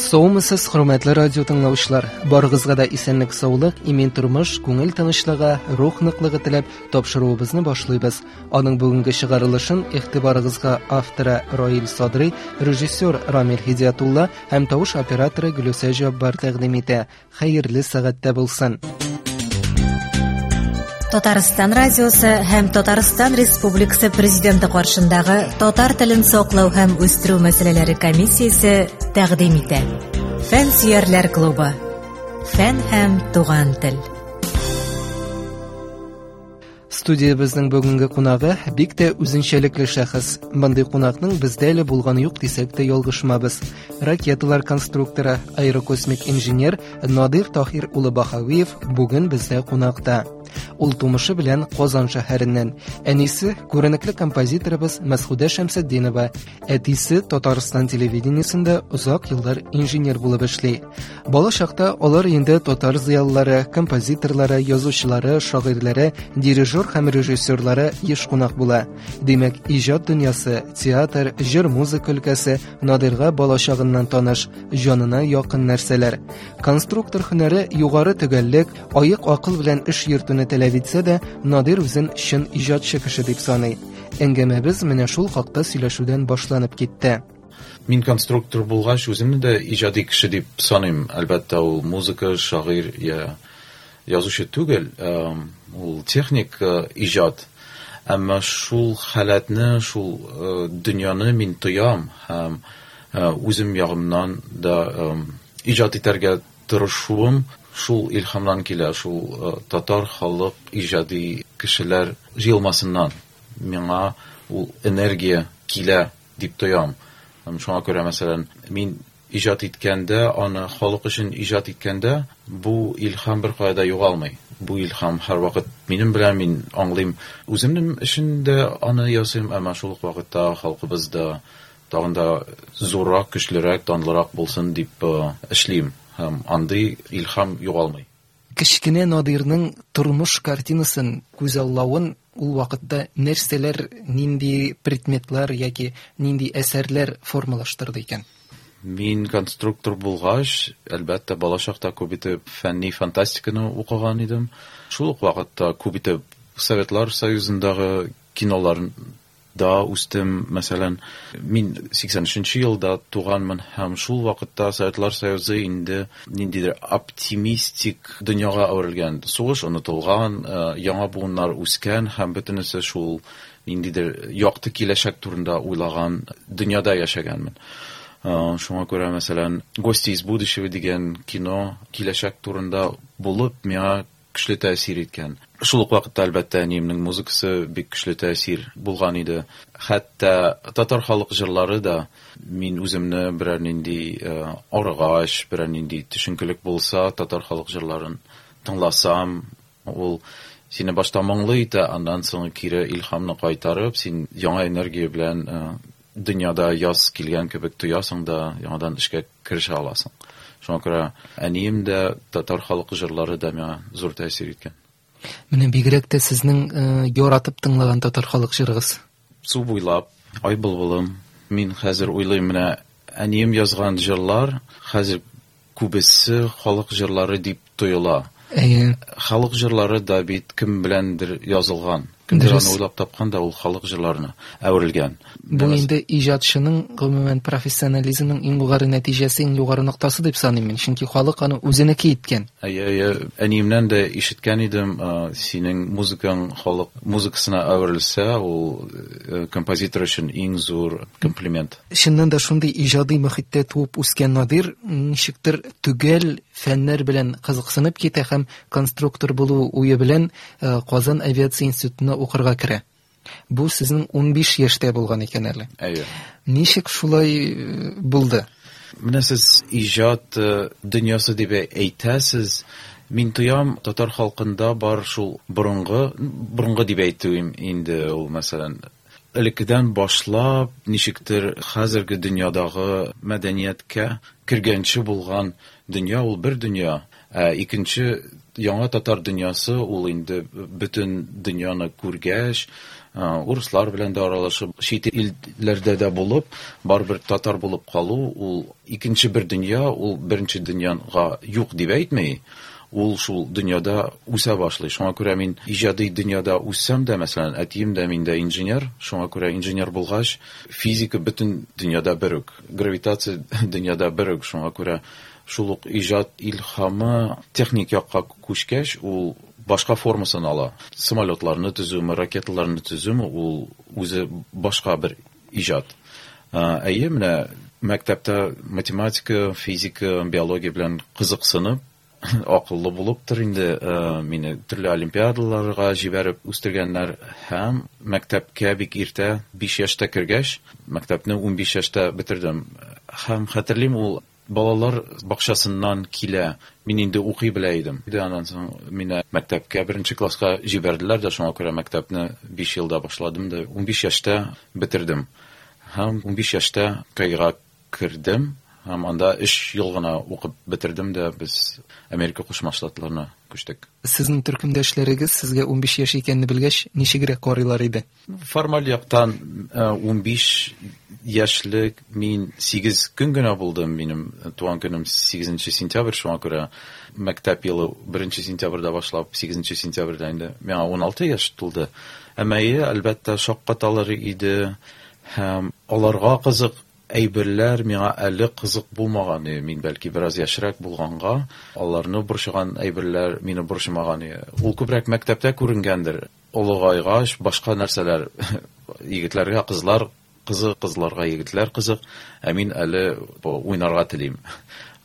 Саумысыз, хөрмәтле радио тыңлаучылар. Барыгызга да исәнлек, саулык, имин тормыш, күңел тынычлыгы, рух ныклыгы теләп тапшыруыбызны башлыйбыз. Аның бүгенге чыгарылышын игътибарыгызга авторы Раил Садрый, режиссер Рамил Һидиятулла һәм тавыш операторы Гөлүсә Җаббар тәкъдим итә. Хәерле сәгатьтә булсын. Татарстан радиосы һәм Татарстан Республикасы Президенты каршындагы татар телен саклау һәм үстерү мәсьәләләре комиссиясе тәкъдим итә. Фән сөярләр клубы. Фән һәм туган тел. Студиябезнең бүгенге кунагы бик тә үзенчәлекле шәхес. Мондый кунакның бездә әле булганы юк дисәк тә ялгышмабыз. Ракеталар конструкторы, аэрокосмик инженер Надир Таһир улы Баһавиев бүген бездә кунакта. Ул тумышы белән Казан шәһәреннән. Әнисе күренекле композиторыбыз Мәсхүдә Шәмсетдинова, әтисе Татарстан телевидениесендә озак еллар инженер булып эшли. Бала чакта алар инде татар зыялылары, композиторлары, язучылары, шагыйрьләре, дирижер һәм режиссерлары еш кунак була. Димәк, иҗат дөньясы, театр, җыр-музыка өлкәсе Надирга бала чагыннан таныш, җанына якын нәрсәләр. Конструктор һөнәре югары төгәллек, аек акыл белән эш йөртүне таләп итсә дә, Надир үзен чын иҗатчы кеше дип саный. Әңгәмәбез менә шул хакта сөйләшүдән башланып китте. Мин конструктор булгач, үземне дә иҗади кеше дип саныйм. Әлбәттә, ул музыка, шагыйрь я язучы түгел, ул техник иҗат. Әмма шул халәтне, шул дөньяны мин тоям һәм үзем ягымнан да иҗат итәргә тырышуым шул илһамнан килә, шул татар халык иҗади кешеләр җыелмасыннан миңа ул энергия килә дип тоям. Һәм шуңа күрә, мәсәлән, мин иҗат иткәндә, аны халык өчен иҗат иткәндә, бу илһам беркая да югалмый. Бу илһам һәрвакыт минем белән, мин аңлыйм, үземнең өчен дә аны ясыйм, әмма шул ук вакытта халкыбыз да тагын да зуррак, көчлерәк, данлырак булсын дип эшлим. Һәм андый илһам югалмый. Кечкенә Надирның тормыш картинасын күзаллавын ул вакытта нәрсәләр, нинди предметлар яки нинди әсәрләр формалаштырды икән? Мин конструктор булгач, әлбәттә, балачакта күп итеп фәнни фантастиканы укыган идем. Шул ук вакытта күп итеп Советлар Союзындагы кинолар да үстем. Мәсәлән, мин 83 елда туганмын һәм шул вакытта Советлар Союзы инде ниндидер оптимистик дөньяга әверелгән. Сугыш онытылган, яңа буыннар үскән һәм бөтенесе шул ниндидер якты киләчәк турында уйлаган дөньяда яшәгәнмен. Шуңа күрә, мәсәлән, Гости из будущего дигән кино киләчәк турында булып, миңа көчле тәэсир иткән. Шул ук вакытта, әлбәттә, әниемнең музыкасы бик көчле тәэсир булган иде. Хәтта татар халык җырлары да мин үземне берәр нинди арыгач, берәр нинди төшенкелек булса, татар халык җырларын тыңласам, ул сине башта моңлы итә, аннан соң кире илһамны кайтарып, син яңа энергия белән дөньяда яз килгән кебек тоясың да, яңадан эшкә керешә аласың. Шуңа күрә әнием дә, татар халык җырлары да миңа зур тәэсир иткән. Менә бигрәк тә сезнең яратып тыңлаган татар халык җырыгыз. Су буйлап, Ай былбылым. Мин хәзер уйлыйм, менә әнием язган җырлар хәзер күбесе халык җырлары дип тоела. Әйе. Халык җырлары да бит кем беләндер язылган. Кемдер аны уйлап тапкан да ул халык җырларына әверелгән. Бу инде иҗатчының, гомумән, профессионализмның иң югары нәтиҗәсе, иң югары ноктасы дип саныйм мин. Чөнки халык аны үзенеке иткән. Әйе, әйе. Әниемнән дә ишеткән идем, синең музыкаң халык музыкасына әверелсә, ул композитор өчен иң зур комплимент. Чыннан да шундый иҗади мохиттә туып үскән Надир ничектер төгәл фәннәр белән кызыксынып китә һәм конструктор булу уе белән Казан авиация институтына укырга керә. Бу сезнең 15 яшьтә булган икән әле. Әйе. Ничек шулай булды? Менә сез иҗат дөньясы дип әйтәсез. Мин тоям, татар халкында бар шул борынгы, борынгы дип әйтүем инде ул, мәсәлән, элеккедән башлап, ничектер хәзерге дөньядагы мәдәнияткә кергәнче булган дөнья ул бер дөнья. Ә икенче яңа татар дөньясы ул инде бөтен дөньяны күргәч, Урыслар белән дә аралашып, чит илләрдә дә булып, барыбер татар булып калу, ул икенче бер дөнья, ул беренче дөньяга юк дип әйтми, ул шул дөньяда үсә башлый. Шуңа күрә мин иҗади дөньяда үссәм дә, мәсәлән, әтием дә, мин дә инженер, шуңа күрә инженер булгач, физика бөтен дөньяда бер үк, гравитация дөньяда бер үк, шуңа күрә шул ук иҗат илһамы техник якка күчкәч, ул башка формасын ала. Самолетларны төзүме, ракеталарны төзүме, ул үзе башка бер иҗат. Әйе, менә мәктәптә математика, физика, биология белән кызыксынып, акыллы булыптыр инде, мине төрле олимпиадаларга җибәреп үстергәннәр һәм мәктәпкә бик иртә, 5 яшьтә кергәч, мәктәпне 15 яшьтә бетердем. Һәм хәтерлим, ул балалар бакчасыннан килә. Мин инде укый белә идем. Аннан соң мине мәктәпкә беренче класска җибәрделәр дә, шуңа күрә мәктәпне 5 елда башладым да, 15 яшьтә бетердем. Һәм 15 яшьтә КАИга кердем. Һәм анда 3 ел гына укып бетердем дә, без Америка Кушма Штатларына күчтек. Сезнең төркемдәшләрегез сезгә 15 яшь икәнне белгәч, ничегрәк карыйлар иде? Формаль яктан 15 яшьлек мин 8 көн генә булдым. Минем туган көнем 8 сентябрь, шуңа күрә мәктәп елы 1 сентябрьдә башлап 8 сентябрьдә инде миңа 16 яшь тулды. Әмма әлбәттә шаккаталар иде һәм аларга кызык әйберләр миңа әле кызык булмаган. Мин бәлки бераз яшьрәк булганга, аларны борчыган әйберләр мине борчымаган. Ул күбрәк мәктәптә күренгәндер. Олыгайгач башка нәрсәләр, егетләргә кызлар кызык, кызларга егетләр кызык, ә мин әле уйнарга телим.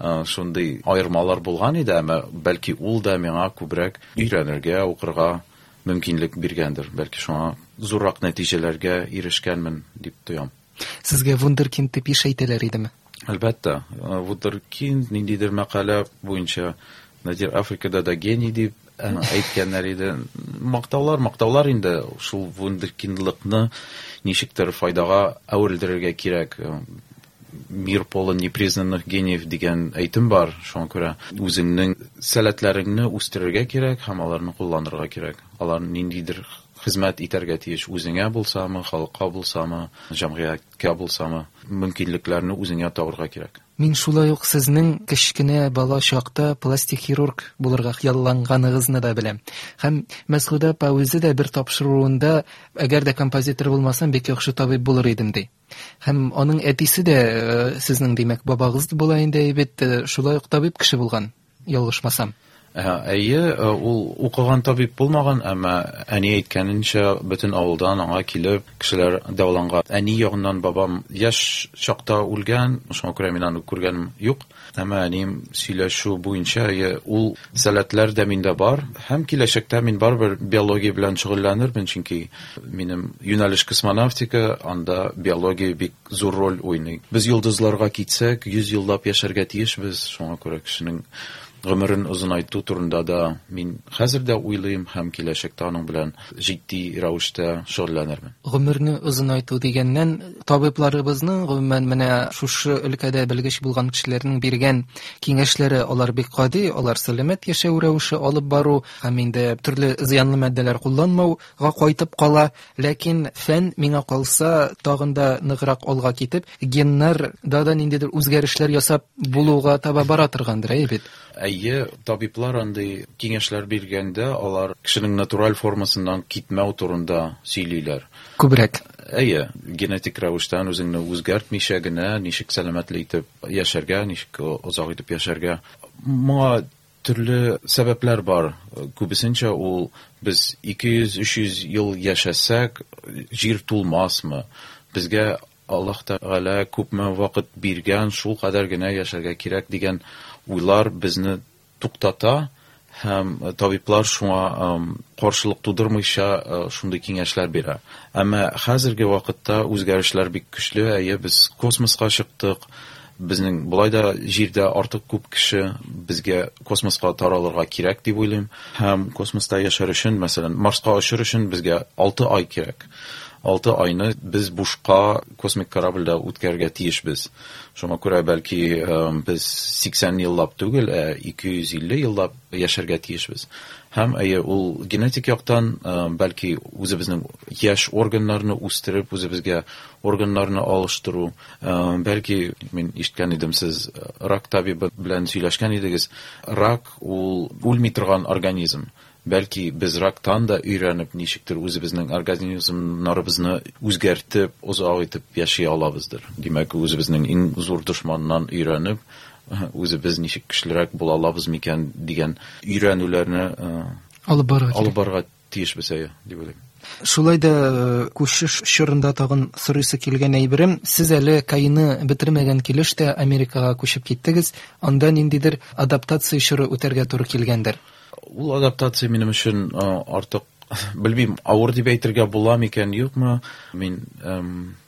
Шундый аермалар булган иде, әмма бәлки ул да миңа күбрәк өйрәнергә, укырга мөмкинлек биргәндер. Бәлки шуңа зуррак нәтиҗәләргә ирешкәнмен дип тоям. Сезгә вундеркинд дип еш әйтәләр идеме? Әлбәттә, вундеркинд ниндидер мәкалә буенча Надир Африкада да гений дип әйткәннәр иде. Мактаулар, мактаулар инде, шул вундеркиндлыкны ничектер файдага әверелдерергә кирәк. Мир полон непризнанных гениев дигән әйтем бар, шуңа күрә үзеңнең сәләтләреңне үстерергә кирәк һәм аларны кулланырга кирәк. Алар ниндидер хезмәт итәргә тиеш, үзеңә булсамы, халыкка булсамы, җәмгыятькә булсамы, мөмкинлекләрне үзеңә табырга кирәк. Мин шулай ук сезнең кечкенә бала чакта пластик хирург булырга хыялланганыгызны да беләм. Һәм Мәсгудә апа үзе дә бер тапшыруында, әгәр дә композитор булмасам, бик яхшы табиб булыр идем, ди. Һәм аның әтисе дә сезнең, димәк, бабагыз була инде бит, шулай ук табиб кеше булган, ялгышмасам. Әйе, ул укыган табиб булмаган, әмма әни әйткәненчә, бөтен авылдан аңа килеп кешеләр дәваланган. Әни ягыннан бабам яшь чакта үлгән, шуңа күрә мин аны күргәнем юк. Әмма әнием сөйләшү буенча, әйе, ул сәләтләр дә миндә бар. Һәм киләчәктә мин барыбер биология белән шөгыльләнермен, чөнки минем юнәлеш космонавтика, анда биология бик зур роль уйный. Без йолдызларга китсәк, 100 еллап яшәргә тиешбез, шуңа күрә кешенең гомерен озынайту турында да мин хәзер дә уйлыйм һәм киләчәктә аның белән җитди рәвештә шөгыльләнермен. Гомерне озынайту дигәннән, табибларыбызның, гомумән, менә шушы өлкәдә белгеч булган кешеләрнең биргән киңәшләре, алар бик гади, алар сәламәт яшәү рәвеше алып бару һәм инде төрле зыянлы матдәләр кулланмауга кайтып кала. Ләкин фән, миңа калса, тагын да ныграк алга китеп, геннарда да ниндидер үзгәрешләр ясап булуга таба бара торгандыр, әйе бит? Әйе, табиблар андый киңәшләр биргәндә, алар кешенең натураль формасыннан китмәү турында сөйлиләр. Күбрәк. Әйе, генетик рәвештән үзеңне үзгәртмичә генә ничек сәламәтле итеп яшәргә, ничек озак итеп яшәргә. Моңа төрле сәбәпләр бар. Күбесенчә ул без 200-300 ел яшәсәк, җир тулмасмы? Безгә Аллаһ Тәгалә күпме вакыт биргән, шул кадәр генә яшәргә кирәк дигән уйлар безне туктата һәм табиблар шуңа каршылык тудырмыйча шундый киңәшләр бирә. Әмма хәзерге вакытта үзгәрешләр бик көчле. Әйе, без космоска чыктык. Безнең болай да җирдә артык күп кеше, безгә космоска таралырга кирәк дип уйлыйм. Һәм космоста яшәр өчен, мәсәлән, Марска очыр өчен безгә 6 ай кирәк. 6 айны без бушка космик корабльдә үткәрергә тиешбез. Шуңа күрә бәлки без 80 еллап түгел, ә 250 еллап яшәргә тиешбез. Һәм әйе, ул генетик яктан бәлки үзебезнең яшь органнарны үстереп, үзебезгә органнарны алыштыру, бәлки мин ишеткән идем, сез рак табибы белән сөйләшкән идегез. Рак ул үлми торган организм. Бәлки без рактан да өйрәнеп, ничектер үзебезнең организмнарыбызны үзгәртеп, озак итеп яши алабыздыр. Димәк, үзебезнең иң зур дошманнан өйрәнеп, үзебез ничек көчлерәк була алабыз микән дигән өйрәнүләрне алып барырга алып барырга тиешбез, әйе, дип уйлыйм. Шулай да күчеш чорында тагын сорыйсы килгән әйберем, сез әле КАИны бетермәгән килеш тә Америкага күчеп киттегез, анда ниндидер адаптация чоры үтәргә туры килгәндер. Ул адаптация минем өчен артык, белмим, авыр дип әйтергә була микән, юкмы. Мин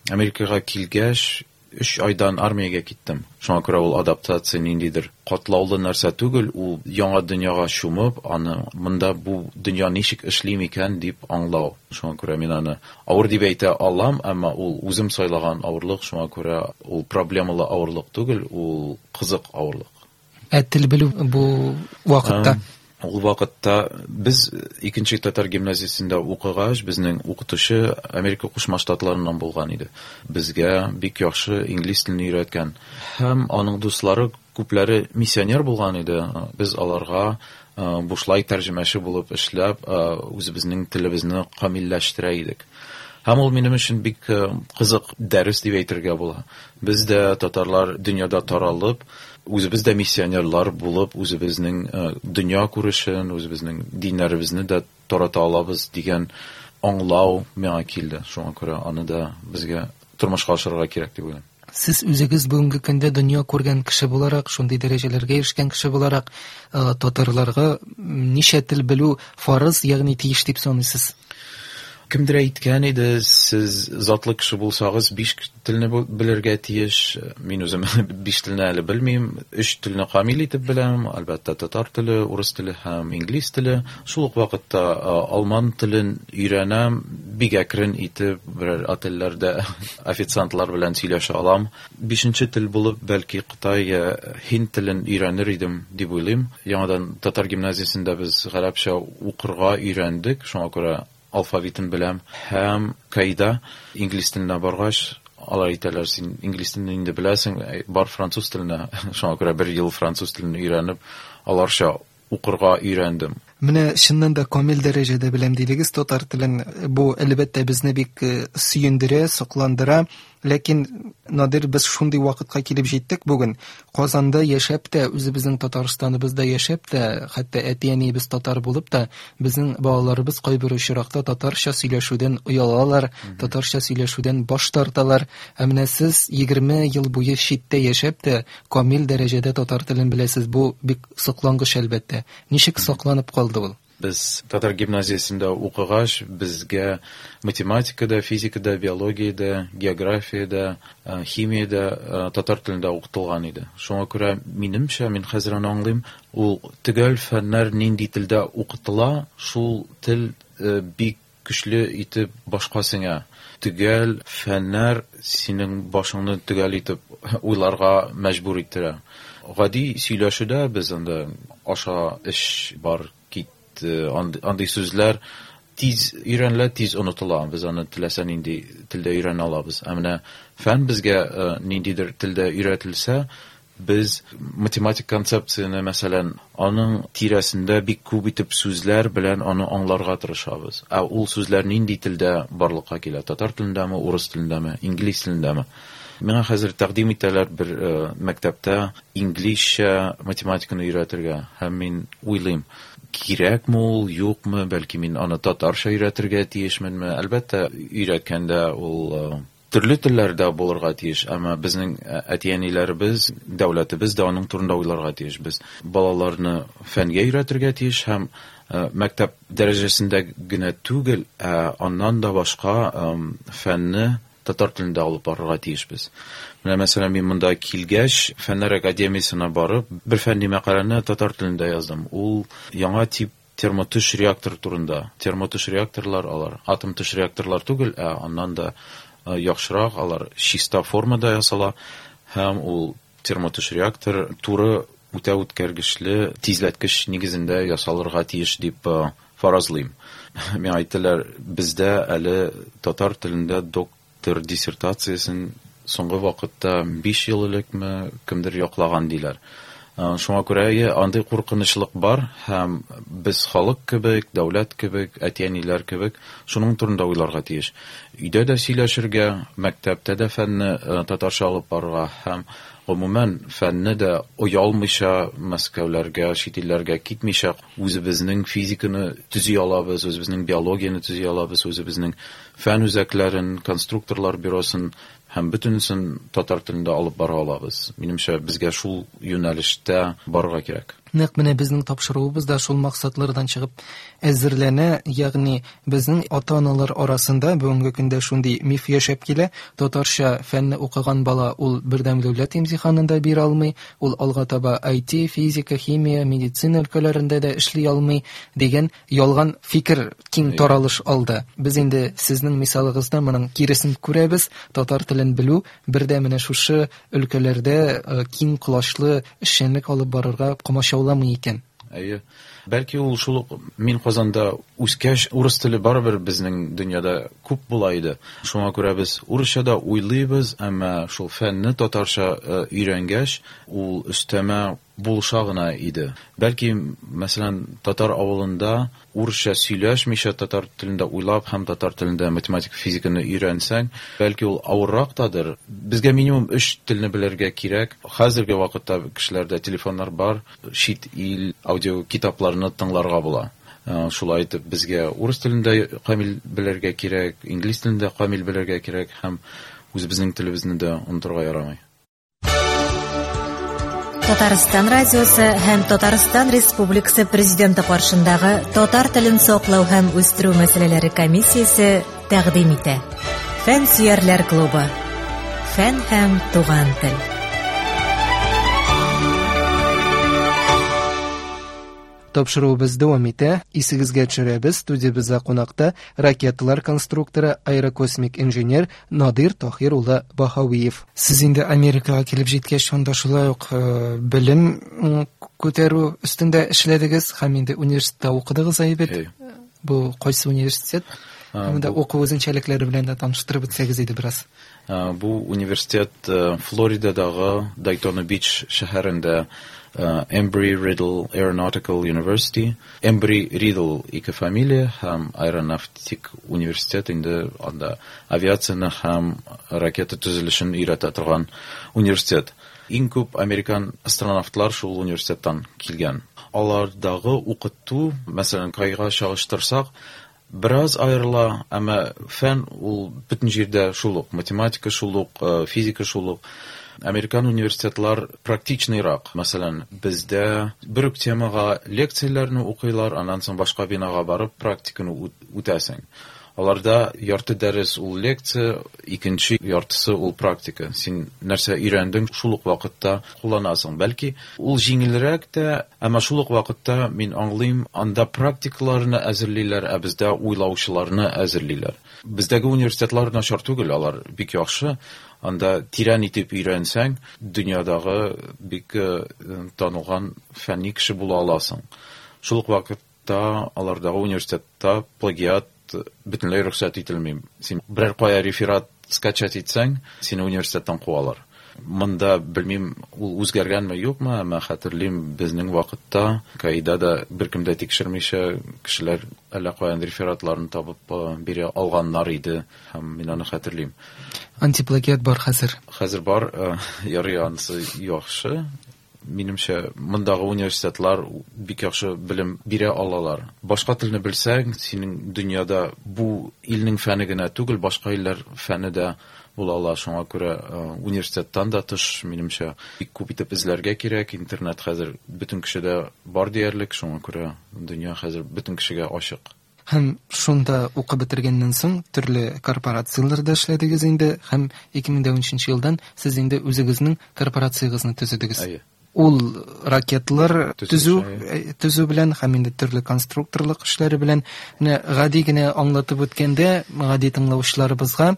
Америкага килгәч, 3 айдан армиягә киттем. Шуңа күрә ул адаптация ниндидер катлаулы нәрсә түгел, ул яңа дөньяга чумып, аны монда бу дөнья ничек эшли микән дип аңлау. Шуңа күрә мин аны авыр дип әйтә алам, әмма ул үзем сайлаган авырлык, шуңа күрә ул проблемалы авырлык түгел, ул кызык авырлык. Ә тел белү бу вакытта? Ул вакытта без икенче татар гимназиясендә укыгач, безнең укытучы Америка Кушма Штатларыннан булган иде. Безгә бик яхшы инглиз телен өйрәткән. Һәм аның дуслары күпләре миссионер булган иде. Без аларга бушлай тәрҗемәче булып эшләп, үзебезнең телебезне камилләштерә идек. Һәм ул минем өчен бик кызык дәрес дип әйтергә була. Без дә татарлар дөньяда таралып, үзебез дә миссионерлар булып, үзебезнең дөнья күрешен, үзебезнең диннәребезне дә тарата алабыз дигән аңлау миңа килде. Шуңа күрә аны да безгә тормышка ашырырга кирәк дип уйлыйм. Сез үзегез бүгенге көндә дөнья күргән кеше буларак, шундый дәрәҗәләргә ирешкән кеше буларак, татарларга ничә тел белү фарыз, ягъни тиеш дип саныйсыз? Кемдер әйткән иде, сез затлы кеше булсагыз, 5 телне белергә тиеш. Мин үзем 5 телне әле белмим, 3 телне камил итеп беләм, әлбәттә, татар теле, урыс теле һәм инглиз теле. Шул ук вакытта алман телен өйрәнәм, бик әкрен итеп, берәр отельләрдә официантлар белән сөйләшә алам. 5нче тел булып, бәлки Кытай, һинд телен өйрәнер идем дип уйлыйм. Яңадан татар гимназиясендә без гарәпчә укырга өйрәндек, шуңа күрә алфавитын беләм. Һәм КАИда инглиз теленә баргач, алар әйтәләр, син инглиз телен инде беләсең, бар француз теленә. Шуңа күрә бер ел француз телен өйрәнеп, аларча укырга өйрәндем. Менә чыннан да камил дәрәҗәдә беләм дидегез татар телен. Бу әлбәттә безне бик сөендерә, сокландыра. Ләкин, Надир, без шундый вакытка килеп җиттек бүген. Казанда яшәп тә, үзебезнең Татарстаныбызда яшәп тә, хәтта әти-әниебез татар булып та, безнең балаларыбыз кайбер очракта татарча сөйләшүдән оялалар, татарча сөйләшүдән баш тарталар. Ә менә сез 20 ел буе читтә яшәп тә, камил дәрәҗәдә татар телен беләсез. Бу бик соклангыч әлбәттә. Ничек сакланып калды ул? Без татар гимназиясендә укыгач, безгә математикада, физикада, биологиядә, географиядә, химиядә татар телендә укытылган иде. Шуңа күрә минемчә, мин хәзер аны аңлыйм, ул төгәл фәннәр нинди телдә укытыла, шул тел бик көчле итеп башка сеңә. Төгәл фәннәр синең башыңны төгәл итеп уйларга мәҗбүр иттерә. Гади сөйләшүдә без анда аша эш бар, андый сүзләр тиз өйрәнелә, тиз онытыла. Без аны теләсә нинди телдә өйрәнә алабыз. Ә менә фән безгә ниндидер телдә өйрәтелсә, без математик концепцияне, мәсәлән, аның тирәсендә бик күп итеп сүзләр белән аны аңларга тырышабыз. Ә ул сүзләр нинди телдә барлыкка килә? Татар телендәме, урыс телендәме, инглиз телендәме? Миңа хәзер тәкъдим итәләр бер мәктәптә инглизчә математиканы өйрәтергә, һәм мин уйлыйм, кирәкме ул, юкмы, бәлки мин аны татарча өйрәтергә тиешменме? Әлбәттә, өйрәткәндә ул төрле телләрдә булырга тиеш, әмма безнең әти-әниләребез, дәүләтебез дә аның турында уйларга тиеш. Без балаларны фәнгә өйрәтергә тиеш һәм мәктәп дәрәҗәсендә генә түгел, ә аннан да башка фәнне татар телендә алып барырга тиешбез. Менә мәсәлән, мин монда килгәч, Фәннәр академиясенә барып, бер фәнни мәкаләне татар телендә яздым. Ул яңа тип Термотөш реактор турында. Термотөш реакторлар алар атом төш реакторлар түгел, ә аннан да яхшырак, алар чиста формада ясала һәм ул термотөш реактор туры үтә үткәргечле тизләткеч нигезендә ясалырга тиеш дип фаразлыйм. Миңа әйттеләр, бездә әле татар телендә доктор диссертациясен соңгы вакытта 5 ел элекме кемдер яклаган диләр. Шуңа күрә андый куркынычлык бар һәм без халык кебек, дәүләт кебек, әти-әниләр кебек шуның турында уйларга тиеш. Өйдә дә сөйләшергә, мәктәптә дә фәнне татарча алып барырга һәм гомумән фәнне дә оялмыйча Мәскәүләргә, чит илләргә китмичә үзебезнең физиканы төзи алабыз, үзебезнең биологияне төзи алабыз, үзебезнең фән үзәкләрен, конструкторлар бюросын һәм бөтенесен татар телендә алып бара алабыз. Минемчә, безгә шул юнәлештә барырга кирәк. Нәкъ менә безнең тапшыруыбыз да шул максатлардан чыгып әзерләнә, ягъни безнең ата-аналар арасында бүгенге көндә шундый миф яшәп килә: татарча фәнне укыган бала ул бердәм дәүләт имтиханын да бирә алмый, ул алга таба IT, физика, химия, медицина өлкәләрендә дә эшли алмый дигән ялган фикер киң таралыш алды. Без инде сезнең мисалыгызда моның киресен күрәбез. Татар телен белү бер дә менә шушы өлкәләрдә киң колачлы эшчәнлек алып барырга комачауламый икән. Әйе. Бәлки ул шул ук мин Казанда үскәч, урыс теле барыбер безнең дөньяда күп була иде. Шуңа күрә без урысча да уйлыйбыз, әмма шул фәнне татарча өйрәнгәч, ул өстәмә булыша гына иде. Бәлки, мәсәлән, татар авылында урысча сөйләшмичә татар телендә уйлап һәм татар телендә математика, физиканы өйрәнсәң, бәлки ул авыррак тадыр. Безгә минимум 3 телне белергә кирәк. Хәзерге вакытта кешеләрдә телефоннар бар, чит ил аудио китапларны тыңларга була. Шулай итеп, безгә урыс телендә камил белергә кирәк, инглиз телендә камил белергә кирәк һәм үзебезнең телебезне дә онытырга ярамый. Татарстан радиосы һәм Татарстан Республикасы Президенты каршындагы татар телен саклау һәм үстерү мәсьәләләре комиссиясе тәкъдим итә. Фән сөярләр клубы. Фән һәм туган тел. Тапшыруыбыз дәвам итә. Исегезгә төшерәбез, студиябездә кунакта ракеталар конструкторы, аэрокосмик инженер Надир Таһир улы Баһавиев. Сез инде Америкага килеп җиткәч, шунда шулай ук белем күтәрү өстендә эшләдегез һәм инде университетта укыдыгыз әйбәт. Бу кайсы университет? Монда уку үзенчәлекләре белән дә таныштырып үтсәгез иде бераз. Бу университет Флоридадагы Дайтона Бич шәһәрендә, Embry-Riddle Aeronautical University. Embry-Riddle ике фамилия һәм аэронавтик университет, инде анда авиацияне һәм ракета төзелешен өйрәтә торган университет. Иң күп американ астронавтлар шул университеттан килгән. Алардагы укыту, мәсәлән, КАИга чагыштырсак, бераз аерыла, әмма фән ул бөтен җирдә шул ук, математика шул ук, физика шул ук. Американ университетлар практичныйрак. Мәсәлән, бездә бер үк темага лекцияләрне укыйлар, аннан соң башка бинага барып практиканы үтәсең. Аларда ярты дәрес ул лекция, икенче яртысы ул практика. Син нәрсә өйрәндең, шул ук вакытта кулланасың. Бәлки, ул җиңелрәк тә, әмма шул ук вакытта мин аңлыйм, анда практикаларны әзерлиләр, ә бездә уйлаучыларны әзерлиләр. Бездәге университетлар начар түгел, алар бик яхшы. Анда тирән итеп өйрәнсәң, дөньядагы бик танылган фәнни кеше була аласың. Шул ук вакытта алардагы университетта плагиат бөтенләй рөхсәт ителми. Син берәр кая реферат скачать итсәң, сине университеттан куалар. Монда белмим, ул үзгәргәнме, юкмы, әмма хәтерлим, безнең вакытта КАИда да беркем дә тикшермичә кешеләр әллә каян рефератларын табып бирә алганнар иде, һәм мин аны хәтерлим. Антиплагиат бар хәзер. Хәзер бар, ярый, анысы яхшы. Минемчә, мондагы университетлар бик яхшы белем бирә алалар. Башка телне белсәң, синең дөньяда бу илнең фәне генә түгел, башка илләр фәне дә була ала. Шуңа күрә университеттан да тыш, минемчә, бик күп итеп эзләргә кирәк. Интернет хәзер бөтен кешедә бар диярлек, шуңа күрә дөнья хәзер бөтен кешегә ачык. Һәм шунда укып бетергәннән соң төрле корпорацияләрдә эшләдегез инде, һәм 2013 елдан сез инде үзегезнең корпорациягезне төзедегез. Әйе. Ул ракетлар төзү белән һәм инде төрле конструкторлык эшләре белән. Менә гади генә аңлатып үткәндә, гади тыңлаучыларыбызга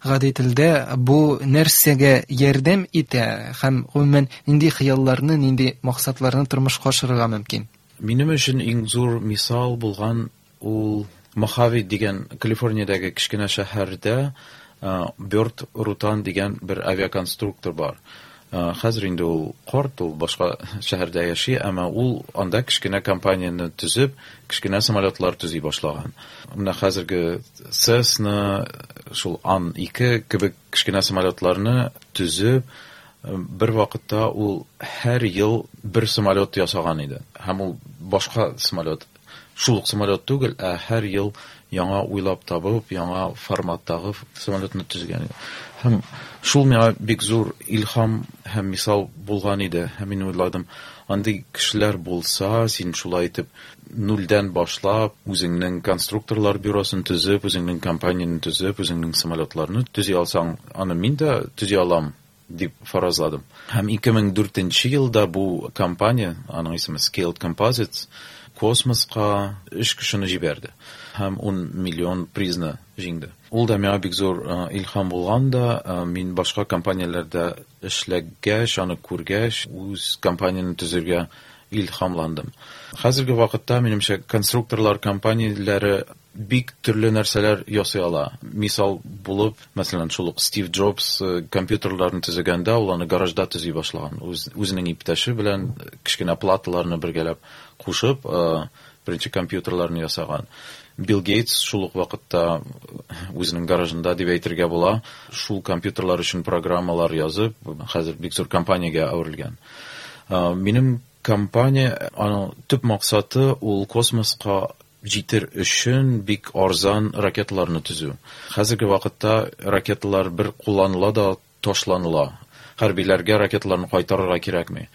гади телдә бу нәрсәгә ярдәм итә һәм гомумән нинди хыялларны, нинди максатларны тормышка ашырырга мөмкин? Минем өчен иң зур мисал булган ул Мохави дигән Калифорниядәге кечкенә шәһәрдә Бёрд Рутан дигән бер авиаконструктор бар. Хәзер инде ул карт, ул башка шәһәрдә яши, әмма ул анда кечкенә компанияне төзеп, кечкенә самолетлар төзи башлаган. Менә хәзерге Cessna, шул Ан-2 кебек кечкенә самолетларны төзеп, бер вакытта ул һәр ел бер самолет ясаган иде. Һәм ул башка самолет, шул ук самолет түгел, ә һәр ел яңа уйлап табып, яңа форматтагы самолетны төзегән иде. Һәм шул миңа бик зур илһам һәм мисал булган иде. Һәм мин уйладым, андый кешеләр булса, син шулай итеп нульдән башлап, үзеңнең конструкторлар бюросын төзеп, үзеңнең компанияне төзеп, үзеңнең самолетларны төзи алсаң, аны мин дә төзи алам дип фаразладым. Һәм 2004 елда бу компания, аның исеме Scaled Composites, космоска 3 кешене җибәрде һәм 10 миллион призны җиңде. Ул да миңа бик зур илһам булган да, мин башка компанияләрдә эшләгәч, аны күргәч, үз компанияне төзергә илһамландым. Хәзерге вакытта, минемчә, конструкторлар компанияләре бик төрле нәрсәләр ясый ала. Мисал булып, мәсәлән, шул ук Стив Джобс компьютерларны төзегәндә, ул аны гаражда төзи башлаган. Үзенең иптәше белән кечкенә платаларны бергәләп кушып, беренче компьютерларны ясаган. Билл Гейтс шул ук вакытта үзенең гаражында дип әйтергә була, шул компьютерлар өчен программалар язып, хәзер бик зур компаниягә әверелгән. Минем компания, аның төп максаты ул космоска җитер өчен бик арзан ракеталарны төзү. Хәзерге вакытта ракеталар бер кулланыла да ташланыла. Хәрбиләргә ракеталарны кайтарырга кирәкми.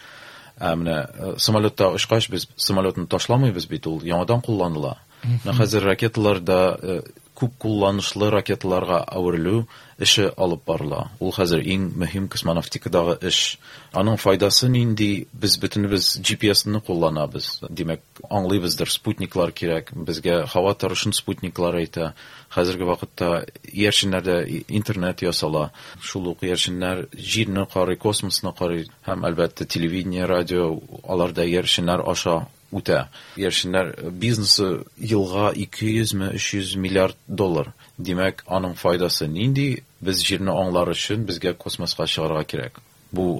Ә менә самолетта очкач без самолетны ташламыйбыз бит, ул яңадан кулланыла. Менә хәзер ракеталар да күп кулланышлы ракеталарга әверелү эше алып барыла. Ул хәзер иң мөһим космонавтикадагы эш. Аның файдасы нинди? Без бөтенебез G P S-ны кулланабыз. Димәк, аңлыйбыздыр, спутниклар кирәк. Безгә һава торышын спутниклар әйтә. Хәзерге вакытта иярченнәрдә интернет ясала. Шул ук иярченнәр җирне карый, космосны карый һәм, әлбәттә, телевидение, радио, алар да иярченнәр аша үтә. Иярченнәр бизнесы елга ике йөзме, өч йөз миллиард доллар. Димәк, аның файдасы нинди? Без җирне аңлар өчен безгә космоска чыгарга кирәк. Бу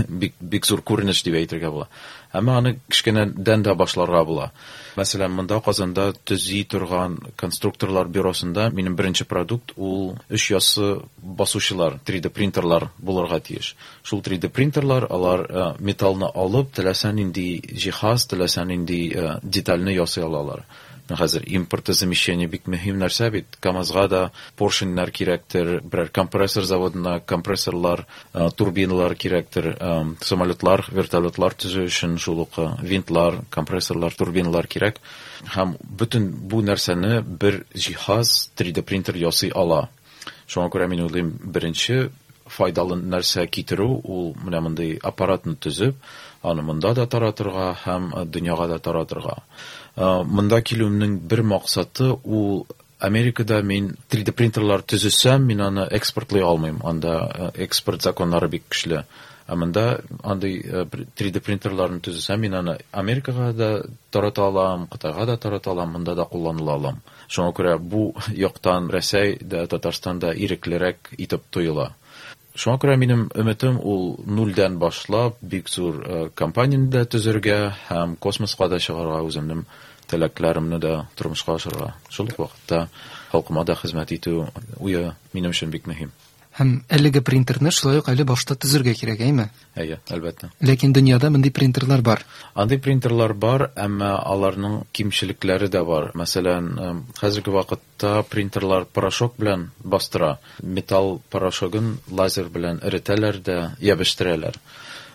бик зур күренеш дип әйтергә була. Әмма аны кечкенәдән дә башларга була. Мәсәлән, монда Казанда төзи торган конструкторлар бюросында минем беренче продукт ул өч яссы басучылар, три дэ принтерлар булырга тиеш. Шул три дэ принтерлар, алар металлны алып, теләсә нинди җиһаз, теләсә нинди детальне ясый алалар. Хәзер импортозамещение бик мөһим нәрсә бит. КамАЗга да поршеньнәр кирәктер, берәр компрессор заводына компрессорлар, турбиналар кирәктер, самолетлар, вертолетлар төзү өчен шул ук винтлар, компрессорлар, турбиналар кирәк. Һәм бөтен бу нәрсәне бер җиһаз три дэ принтер ясый ала. Шуңа күрә мин уйлыйм, беренче файдалы нәрсә китерү ул менә мондый аппаратны төзеп, аны монда да таратырга һәм дөньяга да таратырга. Монда килүемнең бер максаты ул Америкада мин три дэ принтерлар төзесәм, мин аны экспортлый алмыйм. Анда экспорт законнары бик көчле. Ә монда андый три дэ принтерларны төзесәм, мин аны Америкага да тарата алам, Кытайга да тарата алам, монда да кулланыла алам. Шуңа күрә бу яктан Рәсәй дә, Татарстан да иреклерәк итеп тоела. Шуңа күрә минем өметем ул нульдән башлап бик зур компанияне дә төзергә һәм космоска да чыгарга, үземнең теләкләремне дә тормышка ашырырга. Шул ук вакытта халкыма да хезмәт итү уе минем өчен бик мөһим. Һәм әлеге принтерны шулай ук әле башта төзергә кирәк, әйме? Әйе, әлбәттә. Ләкин дөньяда мондый принтерлар бар. Андый принтерлар бар, әмма аларның кимчелекләре дә бар. Мәсәлән, хәзерге вакытта принтерлар порошок белән бастыра. Металл порошогын лазер белән эретәләр дә ябештерәләр.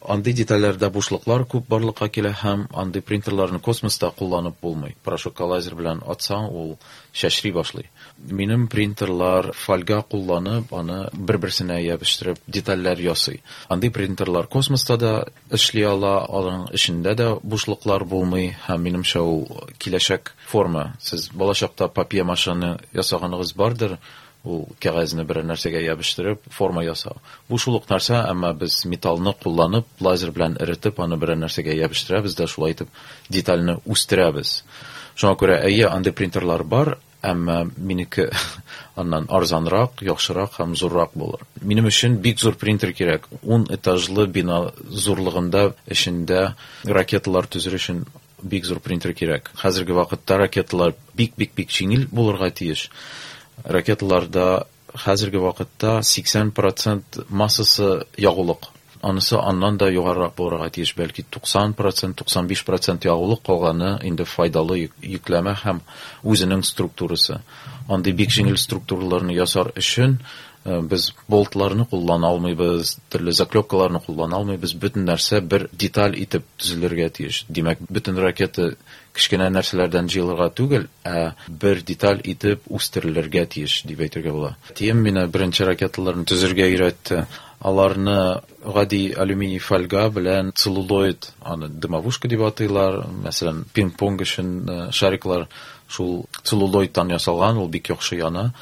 Андый детальләрдә бушлыклар күп барлыкка килә һәм андый принтерларны космоста кулланып булмый. Порошокка лазер белән атсаң, ул чәчри башлый. Минем принтерлар фольга кулланып, аны бер-берсенә ябыштереп детальләр ясый. Андый принтерлар космоста да эшли ала, аның эчендә дә бушлыклар булмый һәм минемчә ул киләчәк форма. Сез балачакта папье-машены ясаганыгыз бардыр, ул кәгазьне берәр нәрсәгә ябыштырып форма ясау. Бу шул ук нәрсә, әмма без металлны кулланып, лазер белән эретеп, аны берәр нәрсәгә ябыштырабыз да шулай итеп детальне үстерәбез. Шуңа күрә әйе, андый принтерлар бар, әмма минеке аннан арзанрак, яхшырак һәм зуррак булыр. Минем өчен бик зур принтер кирәк. 10 этажлы бина зурлыгында эчендә ракеталар төзер өчен бик зур принтер кирәк. Хәзерге вакытта ракеталар бик-бик-бик җиңел булырга тиеш. Ракеталарда хәзерге вакытта 80% массасы ягулык. Анысы аннан да югарырак булырга тиеш, бәлки 90%, 95% ягулык, калганы инде файдалы йөкләмә һәм үзенең структурасы. Андый бик җиңел структураларны ясар өчен без болтларны куллана алмыйбыз, төрле заклепкаларны куллана алмыйбыз. Бөтен нәрсә бер деталь итеп төзелергә тиеш. Димәк, бөтен ракета кечкенә нәрсәләрдән җыелырга түгел, ә бер деталь итеп үстерелергә тиеш дип әйтергә була. Әтием мине беренче ракеталарны төзергә өйрәтте. Аларны гади алюминий фольга белән целлулоид, аны дымовушка дип атыйлар, мәсәлән, пинг-понг өчен шариклар шул целлулоидтан ясалган, ул бик яхшы яна.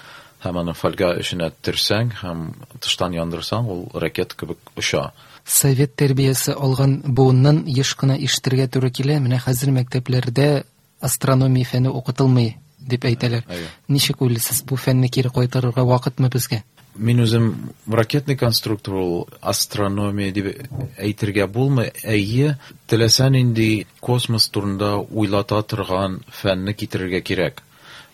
Һәм аны фольга эченә төрсәң һәм тыштан яндырсаң, ул ракета кебек оча. Совет тәрбиясе алган буыннан еш кына ишетергә туры килә, менә хәзер мәктәпләрдә астрономия фәне укытылмый дип әйтәләр. Ничек уйлыйсыз, бу фәнне кире кайтарырга вакытмы безгә? Мин үзем ракетный конструктор, ул астрономия дип әйтергә булмый. Әйе, теләсә нинди космос турында уйлата торган фәнне китерергә кирәк.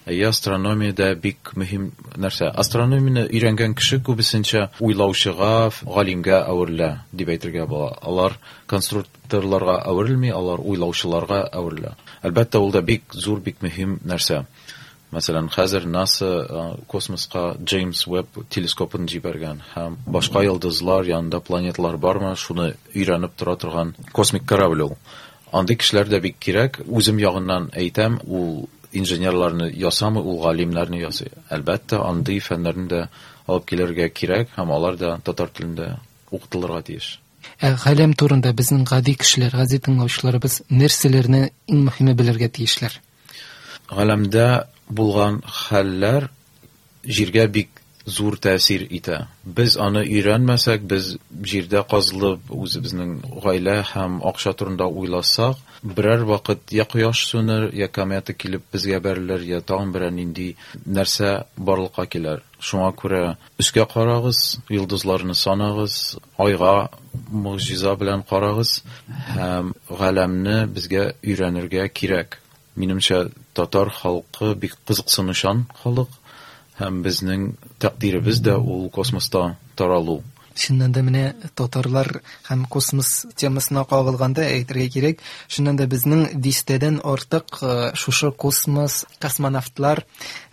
Әйе, астрономия дә бик мөһим нәрсә. Астрономияне өйрәнгән кеше күбесенчә уйлаучыга, галимгә әверелә дип әйтергә була. Алар конструкторларга әверелми, алар уйлаучыларга әверелә. Әлбәттә, ул да бик зур, бик мөһим нәрсә. Мәсәлән, хәзер НАСА космоска Джеймс Уэбб телескопын җибәргән һәм башка йолдызлар янында планеталар бармы, шуны өйрәнеп тора торган космик корабль ул. Андый кешеләр дә бик кирәк. Үзем ягыннан әйтәм, ул инженерларны ясамый, ул галимнәрне ясый. Әлбәттә, андый фәннәрне дә алып килергә кирәк һәм алар да татар телендә укытылырга тиеш. Ә галәм турында безнең гади кешеләр, гади тыңлаучыларыбыз нәрсәләрне иң мөһиме белергә тиешләр? Галәмдә булган хәлләр җиргә бик зур тәэсир итә. Без аны өйрәнмәсәк, без җирдә казылып, үзебезнең гаилә һәм акча турында уйласак, берәр вакыт я кояш сүнер, я комета килеп безгә бәрелер, я тагын берәр нинди нәрсә барлыкка килер. Шуңа күрә өскә карагыз, йолдызларны санагыз, айга могҗиза белән карагыз һәм галәмне безгә өйрәнергә кирәк. Минемчә, татар халкы бик кызыксынучан халык һәм безнең тәкъдиребез дә ул космоста таралу. Чыннан да менә татарлар һәм космос темасына кагылганда әйтергә кирәк, чыннан да безнең дистәдән артык шушы космос, космонавтлар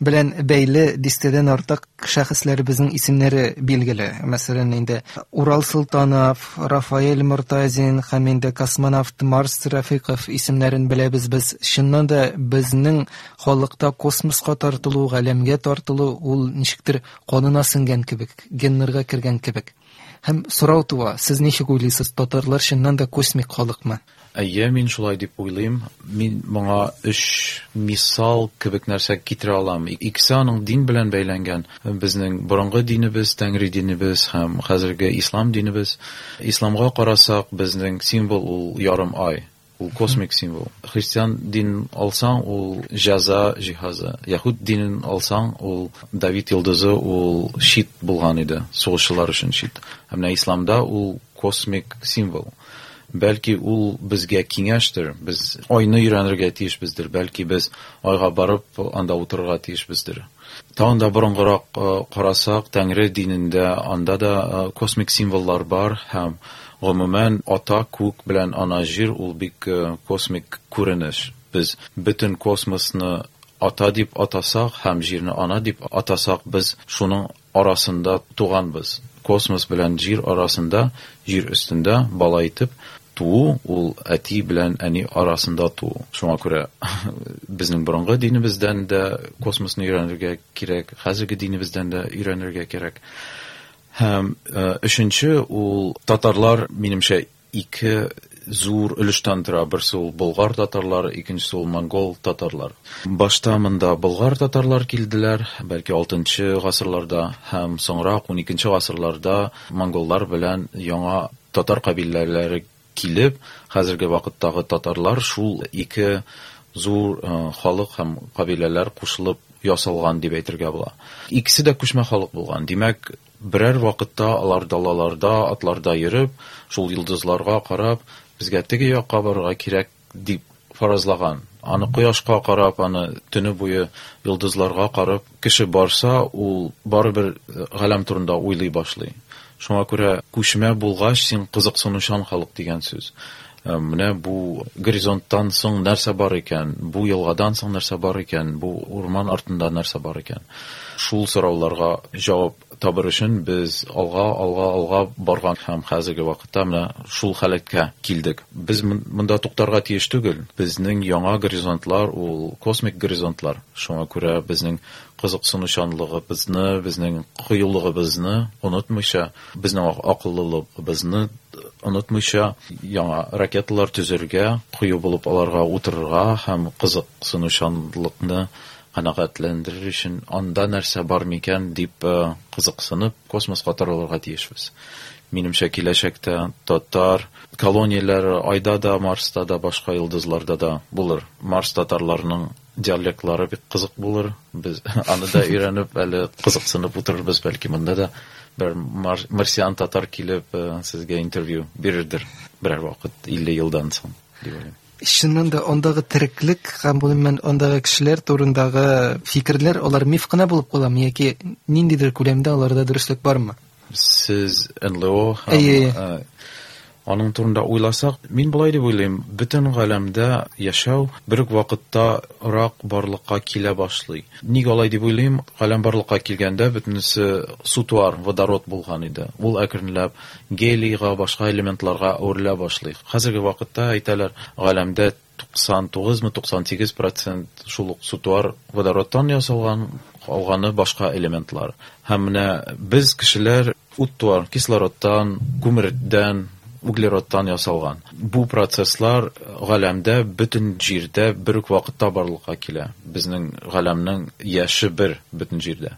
белән бәйле дистәдән артык шәхесләребезнең исемнәре билгеле. Мәсәлән, инде Урал Солтанов, Рафаэль Мортазин һәм инде космонавт Марс Рафиков исемнәрен беләбез без. Чыннан да безнең халыкта космоска тартылу, галәмгә тартылу ул ничектер канына сеңгән кебек, геннарга кергән кебек. Һәм сорау туа, сез ничек уйлыйсыз, татарлар чыннан да космик халыкмы? Әйе, мин шулай дип уйлыйм. Мин моңа өч мисал кебек нәрсә китерә алам. Икесе аның дин белән бәйләнгән. Безнең борынгы динебез, Тәңри динебез һәм хәзерге ислам динебез. Исламга карасак, безнең символ ул ярым ай. Ул космик символ. Христиан динен алсаң, ул җәза җиһазы. Яһүд динен алсаң, ул Давид йолдызы, ул щит булган иде, сугышчылар өчен щит. Ә менә исламда ул космик символ. Бәлки ул безгә киңәштер, без айны өйрәнергә тиешбездер, бәлки без айга барып анда утырырга тиешбездер. Тагын да борынгырак карасак, Тәңре динендә анда да космик символлар бар һәм гомумән ата күк белән ана җир ул бик космик күренеш. Без бөтен космосны ата дип атасак һәм җирне ана дип атасак, без шуның арасында туганбыз. Космос белән җир арасында, җир өстендә бала итеп туу, ул әти белән әни арасында туу. Шуңа күрә безнең борынгы динебездән дә космосны өйрәнергә кирәк, хәзерге динебездән дә өйрәнергә кирәк. Һәм өченче ул татарлар, минемчә, ике зур өлештән тора. Берсе ул болгар татарлары, икенчесе ул монгол татарлар. Башта монда болгар татарлар килделәр, бәлки 6 гасырларда һәм соңрак 12 гасырларда монголлар белән яңа татар кабиләләре килеп, хәзерге вакыттагы татарлар шул ике зур халык һәм кабиләләр кушылып ясалган дип әйтергә була. Икесе дә күчмә халык булган. Димәк, берәр вакытта алар далаларда, атларда йөреп, шул йолдызларга карап, безгә теге якка барырга кирәк дип фаразлаган. Аны кояшка карап, аны төне буе йолдызларга карап, кеше барса, ул барыбер галәм турында уйлый башлый. Шуңа күрә күчмә булгач, син кызыксынучан халык дигән сүз. Менә бу горизонттан соң нәрсә бар икән, бу елгадан соң нәрсә бар икән, бу урман артында нәрсә бар икән. Шул сорауларга җавап табыр өчен без алга, алга, алга барган һәм хәзерге вакытта менә шул халәткә килдек. Без монда туктарга тиеш түгел. Безнең яңа горизонтлар ул космик горизонтлар. Шуңа күрә безнең кызыксынучанлыгыбызны, безнең кыюлыгыбызны онытмыйча, безнең акыллылыгыбызны онытмыйча яңа ракеталар төзергә, кыю булып аларга утырырга һәм кызыксынучанлыкны канәгатьләндерер өчен анда нәрсә бар микән дип кызыксынып космоска таралырга тиешбез. Минемчә, киләчәктә татар колонияләре Айда да, Марста да, башка йолдызларда да булыр. Марс татарларының диалектлары бик кызык булыр. Без аны да өйрәнеп, әле кызыксынып утырырбыз, бәлки монда да бер марсиан татар килеп сезгә интервью бирердер берәр вакыт 50 елдан соң дип уйлыйм. Чыннан да андагы тереклек һәм гомумән андагы кешеләр турындагы фикерләр алар миф кына булып каламы яки ниндидер күләмдә аларда дөреслек бармы? Сез НЛО һәм аның турында уйласак, мин болай дип уйлыйм, бөтен галәмдә яшәү бер үк вакытта рак барлыкка килә башлый. Ник алай дип уйлыйм? Галәм барлыкка килгәндә бөтенесе сутуар, водород булган иде. Ул әкренләп гелийга, башка элементларга әверелә башлый. Хәзерге вакытта әйтәләр, галәмдә 99 мы 98% шул ук сутуар водородтан ясалган, калганы башка элементлар. Һәм менә без кешеләр уттуар, кислородтан, күмердән, углеродтан ясалган. Бу процесслар галәмдә, бөтен җирдә бер үк вакытта барлыкка килә. Безнең галәмнең яше бер бөтен җирдә.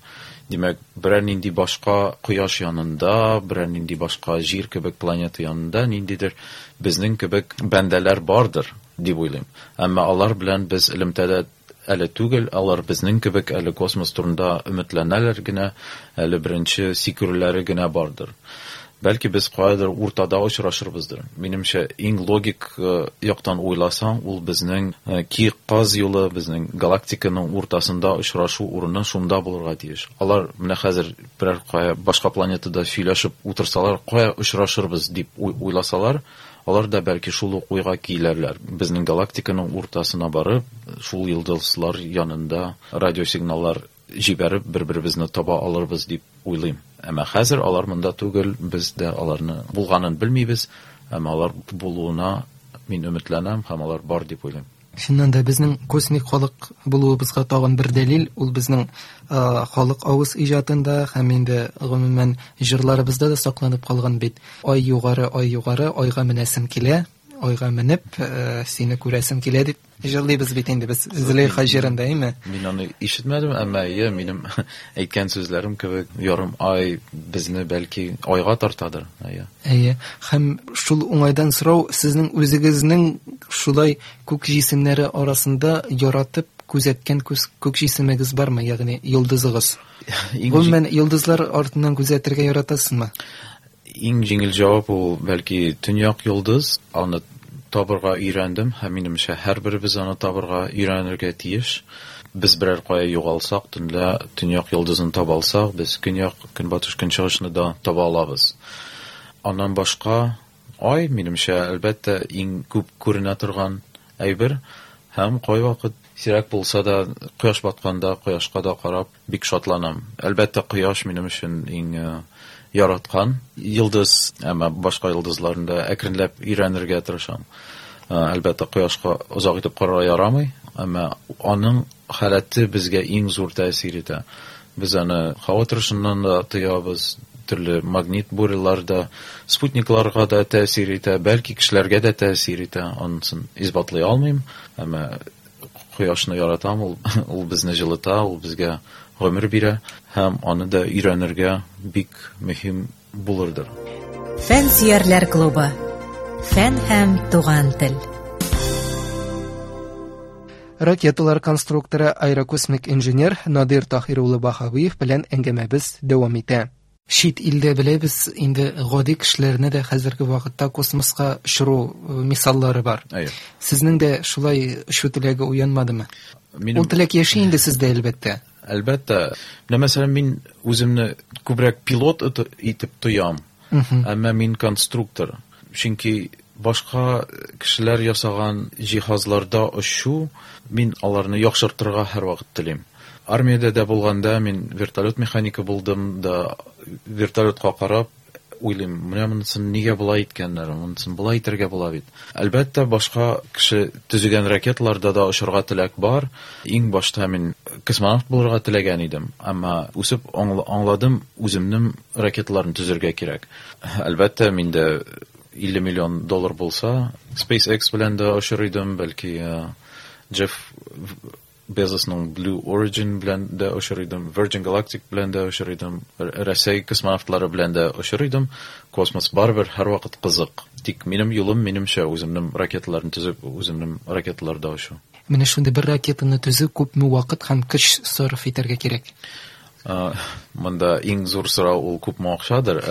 Димәк, берәр нинди башка кояш янында, берәр нинди башка җир кебек планета янында ниндидер безнең кебек бәндәләр бардыр дип уйлыйм. Әмма алар белән без элемтәдә әле түгел, алар безнең кебек әле космос турында өметләнәләр генә, әле беренче сикерүләре генә бардыр. Бәлки без каядыр уртада очрашырбыздыр. Минемчә, иң логик яктан уйласаң, ул безнең Киек Каз юлы, безнең галактиканың уртасында очрашу урыны шунда булырга тиеш. Алар менә хәзер берәр кая башка планетада сөйләшеп утырсалар, кая очрашырбыз дип уйласалар, алар да бәлки шул ук уйга киләрләр. Безнең галактиканың уртасына барып, шул йолдызлар янында радиосигналлар җибәреп бер-беребезне таба алырбыз дип уйлыйм. Әмма хәзер алар монда түгел, без дә аларны булганын белмибез, әмма алар булуына мин өметләнәм һәм алар бар дип уйлыйм. Чыннан да безнең космик халык булуыбызга тагын бер дәлил, ул безнең халык авыз иҗатында һәм инде гомумән җырларыбызда да сакланып калган бит. Ай югары, ай югары, айга менәсем килә, айга менеп, сине күрәсем килә дип җырлыйбыз бит инде без Зөләйха җырында, әйме? Мин аны ишетмәдем, әмма әйе, минем әйткән сүзләрем кебек ярым ай безне бәлки айга тартадыр, әйе. Әйе, һәм шул уңайдан сорау, сезнең үзегезнең шулай күк җисемнәре арасында яратып күзәткән күк җисемегез бармы, ягъни йолдызыгыз? Гомумән, йолдызлар артыннан күзәтергә яратасызмы? Иң җиңел җавап ул бәлки төньяк йолдыз, аны табырга өйрәндем һәм минемчә һәрберебез аны табырга өйрәнергә тиеш. Без берәр кая югалсак, төнлә төньяк йолдызын таба алсак, без көньяк, көнбатыш, көнчыгышны да таба алабыз. Аннан башка ай, минемчә, әлбәттә, иң күп күренә торган әйбер һәм кайвакыт Сирәк булса да, кояш батканда кояшка да карап бик шатланам. Әлбәттә, кояш минем өчен иң яраткан йолдыз, әмма башка йолдызларны да әкренләп өйрәнергә тырышам. Әлбәттә, кояшка озак итеп карарга ярамый, әмма аның халәте безгә иң зур тәэсир итә. Без аны һава торышыннан да тоябыз, төрле магнит бурелар да, спутникларга да тәэсир итә, бәлки кешеләргә дә тәэсир итә. Анысын исбатлый алмыйм, әмма кояшны яратам, ул безне җылыта, ул безгә гомер бирә һәм аны да өйрәнергә бик мөһим булырдыр. Фән сөярләр клубы. Фән һәм туган тел. Ракеталар конструкторы, аэрокосмик инженер Надир Таһир улы Баһавиев белән әңгәмәбез дәвам итә. Чит илдә беләбез, инде гади кешеләрне дә хәзерге вакытта космоска очыру мисаллары бар. Әйе. Сезнең дә шулай очу теләге уянмадымы? Минем Ул теләк яши инде сездә, әлбәттә. Әлбәттә. Менә мәсәлән, мин үземне күбрәк пилот итеп тоям. Әмма мин конструктор. Чөнки башка кешеләр ясаган җиһазларда очу, мин аларны яхшыртырга һәрвакыт телим. Армиядә дә булганда мин вертолет механика булдым да, вертолетка карап уйлыйм, менә монысын нигә болай иткәннәр, монысын болай итәргә була бит. Әлбәттә, башка кеше төзегән ракеталарда да очырга теләк бар. Иң башта мин космонавт булырга теләгән идем, әмма үсеп аңладым, үземнең ракеталарны төзергә кирәк. Әлбәттә, миндә 50 миллион доллар булса, SpaceX белән дә очыр идем, бәлки Джефф Безосның Blue Origin белән дә очыр идем, Virgin Galactic белән дә очыр идем, Рәсәй космонавтлары белән дә очыр идем. Космос барыбер һәрвакыт кызык. Тик минем юлым, минемчә, үземнең ракеталарны төзеп, үземнең ракеталарда очу. Менә шундый бер ракетаны төзү күпме вакыт һәм көч сарыф итәргә кирәк? Монда иң зур сорау ул күпме акчадыр.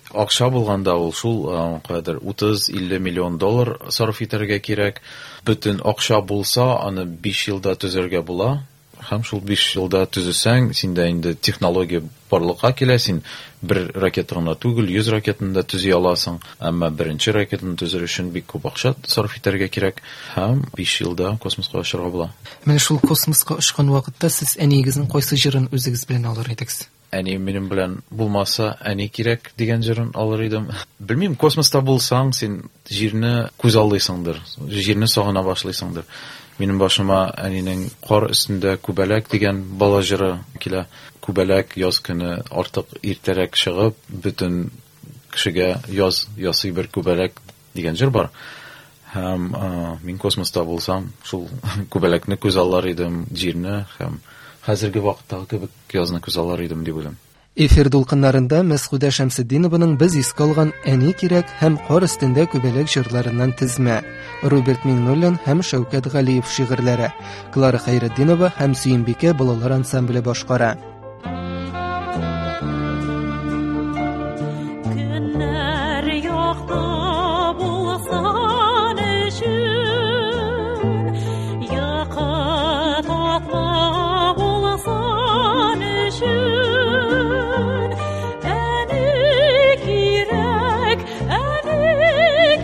Акча булганда ул шул кадәр 30-50 миллион доллар сарыф итәргә кирәк. Бөтен акча булса, аны 5 елда төзергә була. Һәм шул 5 елда төзесәң, синдә инде технология барлыкка килә, син бер ракета гына түгел, 100 ракетаны да төзи аласың. Әмма беренче ракетаны төзер өчен бик күп акча сарыф итәргә кирәк. Һәм 5 елда космоска очарга була. Менә шул космоска очкан вакытта сез әниегезнең кайсы җырын үзегез белән алыр идегез? Әни минем белән булмаса, әни кирәк дигән җырын алыр идем. Белмим, космоста булсаң, син җирне күз алдыйсыңдыр, җирне сагына башлыйсыңдыр. Минем башыма әнинең кар өстендә күбәләк дигән бала җыры килә. Күбәләк яз көне артык иртәрәк чыгып, бөтен кешегә яз ясый бер күбәләк дигән җыр бар. Һәм мин космоста булсам, шул күбәләкне күз аллар идем, җирне һәм хәзерге вакыттагы кебек язны күз аллар идем дип уйлыйм. Эфир дулкыннарында Мәсхүдә Шәмсетдинованың без искә алган Әни кирәк һәм Кар өстендә күбәләк җырларыннан тезмә. Роберт Миңнуллин һәм Шәүкәт Галиев шигырьләре. Клара Хәйретдинова һәм Сөембикә балалар ансамбле башкара. Көннәр якты булсын өчен, йокы татлы булсын өчен, әни кирәк, әни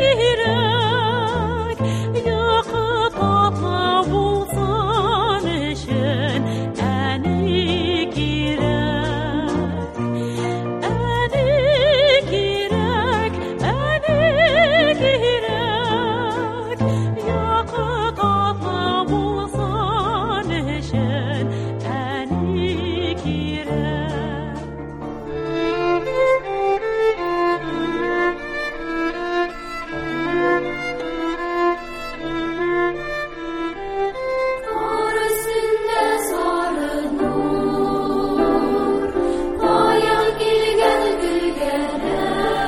кирәк, йокы татлы булсын өчен, әни кирәк. Әни кирәк, әни кирәк, йокы татлы булсын өчен, әни кирәк. Кар өстендә сары нур, каян килгән көлгәнәк,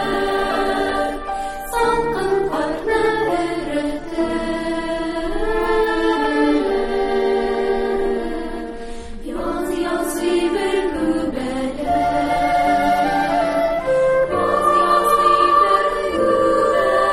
салкын карны эретеп, яз ясый бер күбәләк, яз ясый бер күбәләк.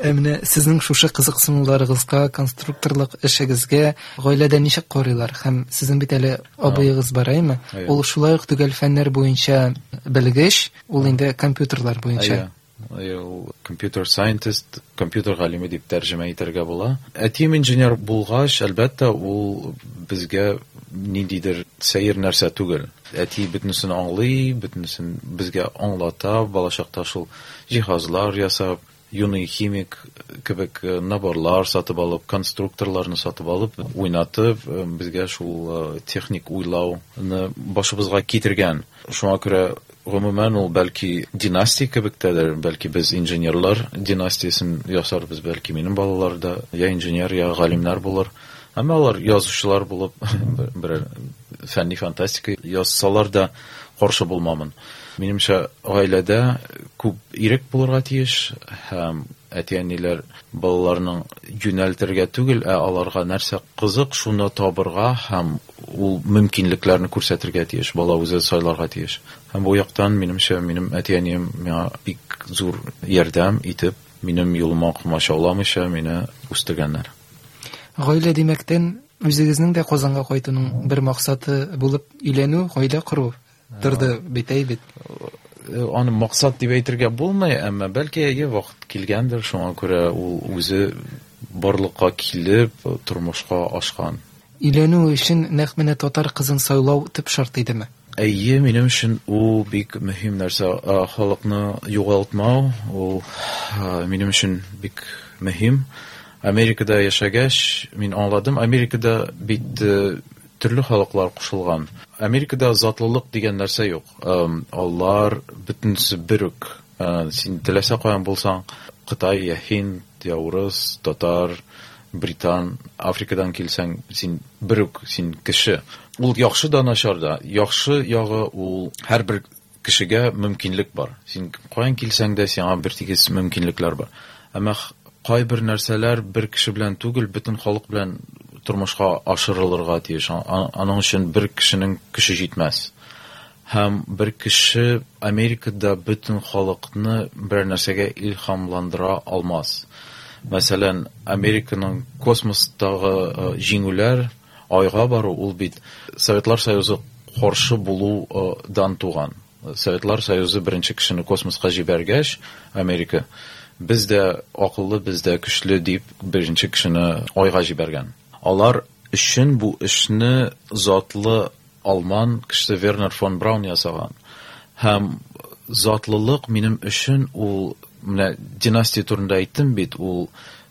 Ә менә сезнең шушы кызыксынуларыгызга, конструкторлык эшегезгә гаиләдә ничек карыйлар? Һәм сезнең бит әле абыегыз бар, әйме? Әйе. Ул шулай ук төгәл фәннәр буенча белгеч, ул инде компьютерлар буенча. Әйе. Ул computer scientist, компьютер галиме дип тәрҗемә итәргә була. Әтием инженер булгач, әлбәттә, ул безгә ниндидер сәер нәрсә түгел. Әти бөтенесен аңлый, бөтенесен безгә аңлата, балачакта шул җиһазлар ясап, юный химик кебек наборлар сатып алып, конструкторларны сатып алып, уйнатып, безгә шул техник уйлауны башыбызга китергән. Шуңа күрә гомумән ул бәлки династия кебек тәдер, бәлки без инженерлар династиясен ясарбыз, бәлки минем балалар да я инженер, я галимнәр булыр. Әмма алар язучылар булып, берәр фәнни фантастика язсалар да каршы булмамын. Минемчә, гаиләдә күп ирек булырга тиеш һәм әти-әниләр балаларның юнәлтергә түгел, ә аларга нәрсә кызык, шуны табырга һәм ул мөмкинлекләрне күрсәтергә тиеш, бала үзе сайларга тиеш. Һәм бу яктан, минемчә, минем әти-әнием миңа бик зур ярдәм итеп, минем юлыма комачауламыйча мине үстергәннәр. Гаилә димәктән, үзегезнең дә Казанга кайтуның бер максаты булып өйләнү, гаилә кору торды бит, әй бит. Аны максат дип әйтергә булмый, әмма бәлки әйе вакыт килгәндер, шуңа күрә ул үзе барлыкка килеп тормышка ашкан. Өйләнү өчен нәкъ менә татар кызын сайлау төп шарт идеме? Әйе, минем өчен ул бик мөһим нәрсә. Халыкны югалтмау ул минем өчен бик мөһим. Америкада яшәгәч, мин аңладым, Америкада бит төрле халыклар кушылган. Америкада затлылык дигән нәрсә юк. Алар бөтенесе бер үк. Син теләсә каян булсаң, Кытай, я Һинд, я урыс, татар, британ, Африкадан килсәң, син бер үк, син кеше. Ул яхшы да, начар да. Яхшы ягы ул һәрбер кешегә мөмкинлек бар. Син каян килсәң дә, сиңа бер тигез мөмкинлекләр бар. Әмма кайбер нәрсәләр бер кеше белән түгел, бөтен халык белән тормышка ашырылырга тиеш. Аның өчен бер кешенең көче җитмәс. Һәм бер кеше Америкада бөтен халыкны бер нәрсәгә илһамландыра алмас. Мәсәлән, Американың космостагы җиңүләр, айга бару, ул бит Советлар Союзы каршы булудан туган. Советлар Союзы беренче кешене космоска җибәргәч, Америка без дә акыллы, без дә көчле дип беренче кешене айга җибәргән. Алар өчен бу эшне затлы алман кешесе Вернер фон Браун ясаган. Һәм затлылык минем өчен ул, менә династия турында әйттем бит, ул